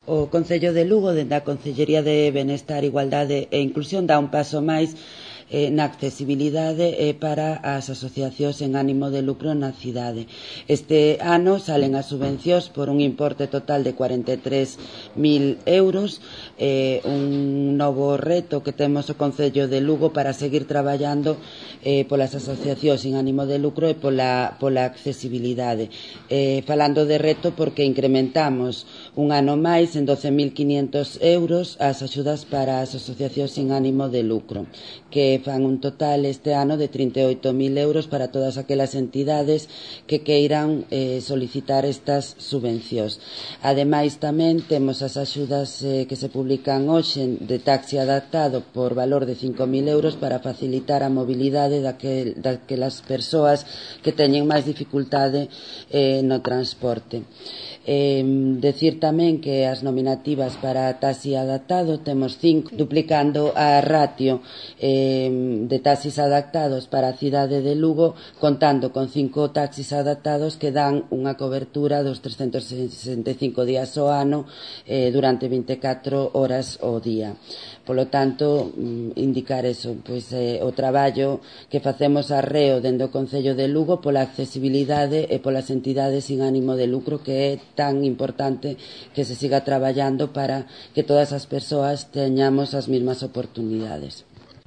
O Concello de Lugo, dende a Concellería de Benestar, Igualdade e Inclusión, dá un paso máis na accesibilidade para as asociacións en ánimo de lucro na cidade. Este ano salen as subvencións por un importe total de 43.000 euros, un novo reto que temos o Concello de Lugo para seguir traballando polas asociacións en ánimo de lucro e pola accesibilidade. Falando de reto, porque incrementamos un ano máis en 12.500 euros as axudas para as asociacións sin ánimo de lucro, que fan un total este ano de 38.000 euros para todas aquelas entidades que queiran solicitar estas subvencións. Ademais, tamén temos as axudas que se publican hoxe de taxi adaptado por valor de 5.000 euros para facilitar a mobilidade daquelas persoas que teñen máis dificultade no transporte. Decir tamén que as nominativas para taxi adaptado temos 5, duplicando a ratio de taxis adaptados para a cidade de Lugo, contando con 5 taxis adaptados que dan unha cobertura dos 365 días ao ano durante 24 horas ao día. Polo tanto, indicar eso, pois o traballo que facemos arreo dende o Concello de Lugo pola accesibilidade e polas entidades sin ánimo de lucro, que é tan importante que se siga traballando para que todas as persoas teñamos as mesmas oportunidades.